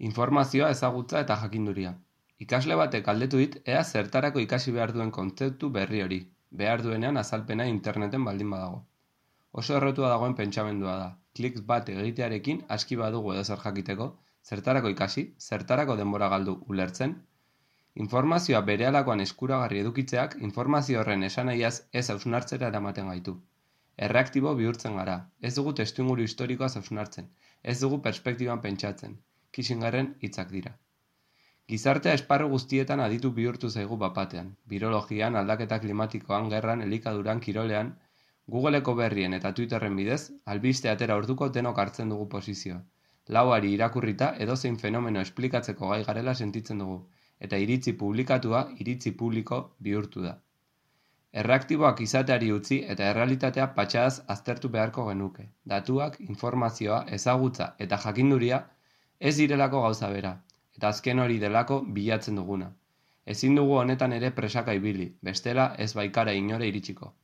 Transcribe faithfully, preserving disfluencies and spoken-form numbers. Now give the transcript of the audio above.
Informazioa, ezagutza eta jakinduria. Ikasle batek galdetu dit ea zertarako ikasi behar duen kontzeptu berri hori, behar duenean azalpena interneten baldin badago. Oso errotua dagoen pentsamendua da. Klik bat egitearekin aski badugu edozer jakiteko, zertarako ikasi, zertarako denbora galdu ulertzen. Informazioa berehalakoan eskuragarri edukitzeak informazio horren esanahiaz ez hausnartzera eramaten gaitu. Erreaktibo bihurtzen gara, ez dugu testuinguru historikoaz hausnartzen, ez dugu perspektiban pentsatzen. Kissingerren hitzak dira. Gizartea esparru guztietan aditu bihurtu zaigu bapatean. Birologian, aldaketa klimatikoan, gerran, elikaduran, kirolean, Googleeko berrien eta Twitterren bidez, albiste atera orduko denok hartzen dugu posizioa. Lauari irakurrita edozein fenomeno esplikatzeko gai garela sentitzen dugu, eta iritzi publikatua iritzi publiko bihurtu da. Erreaktiboak izateari utzi eta errealitatea patxadaz aztertu beharko genuke. Datuak, informazioa, ezagutza eta jakinduria ez direlako gauza bera, eta azken hori delako bilatzen duguna. Ezin dugu honetan ere presaka ibili, bestela ez baikara inore iritsiko.